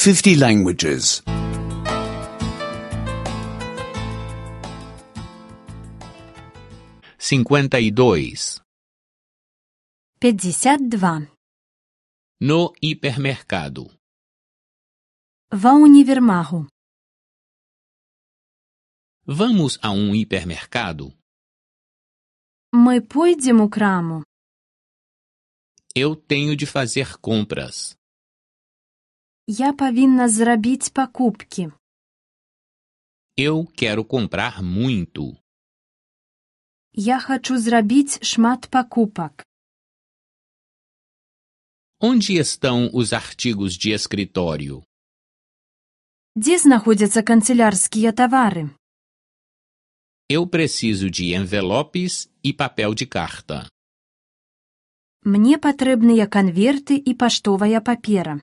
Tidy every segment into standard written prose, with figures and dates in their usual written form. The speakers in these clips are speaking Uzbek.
50 languages. 52. 52. No hipermercado. Ва універмагу. Vamos a um hipermercado? Мы пойдзем у краму. Eu tenho de fazer compras. Я павінна зрабіць пакупкі. Eu quero comprar muito. Я хачу зрабіць шмат пакупак. Onde estão os artigos de escritório? Дзе знаходзяцца канцылярскія тавары? Eu preciso de envelopes e papel de carta. Мне патрэбныя канверты і паштовая папера.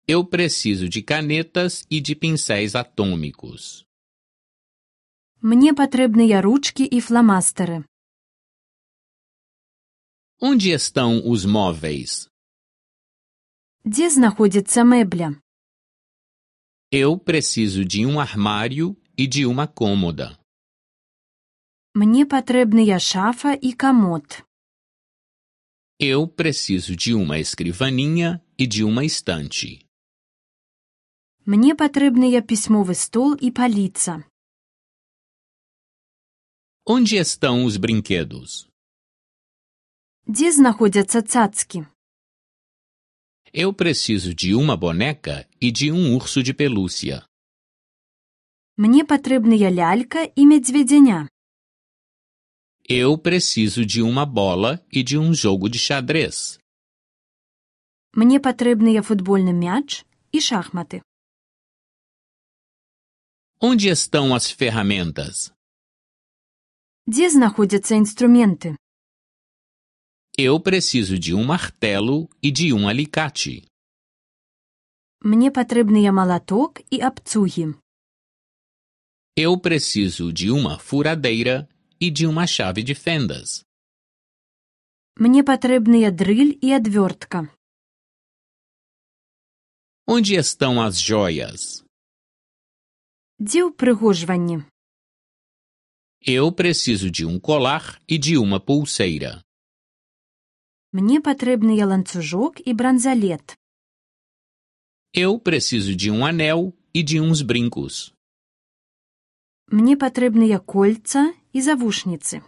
Eu preciso de canetas e de pincéis atômicos. Мне патрэбныя ручкі і фламастары. Onde estão os móveis? Дзе знаходзіцца мэбля? Eu preciso de um armário e de uma cômoda. Мне патрэбныя шафа і камод. Eu preciso de uma escrivaninha e de uma estante. Мне патрэбныя пісьмовы стол і паліца. Onde estão os brinquedos? Дзе знаходзяцца цацкі? Eu preciso de uma boneca e de um urso de pelúcia. Мне патрэбныя лялька і мядзведзяня. Eu preciso de uma bola e de um jogo de xadrez. Мне патрэбныя футбольны мяч і шахматы. Onde estão as ferramentas? Дзе знаходзяцца інструменты? Eu preciso de um martelo e de um alicate. Мне патрэбныя малаток і абцугі. Eu preciso de uma furadeira e de uma chave de fendas. Мне патрэбныя дрыль і адвёртка. Onde estão as joias? Дзе ўпрыгожванні? Eu preciso de um colar e de uma pulseira. Мне патрэбныя ланцужок і бранзалет. Eu preciso de um anel e de uns brincos. Мне патрэбныя кольца і завушніцы.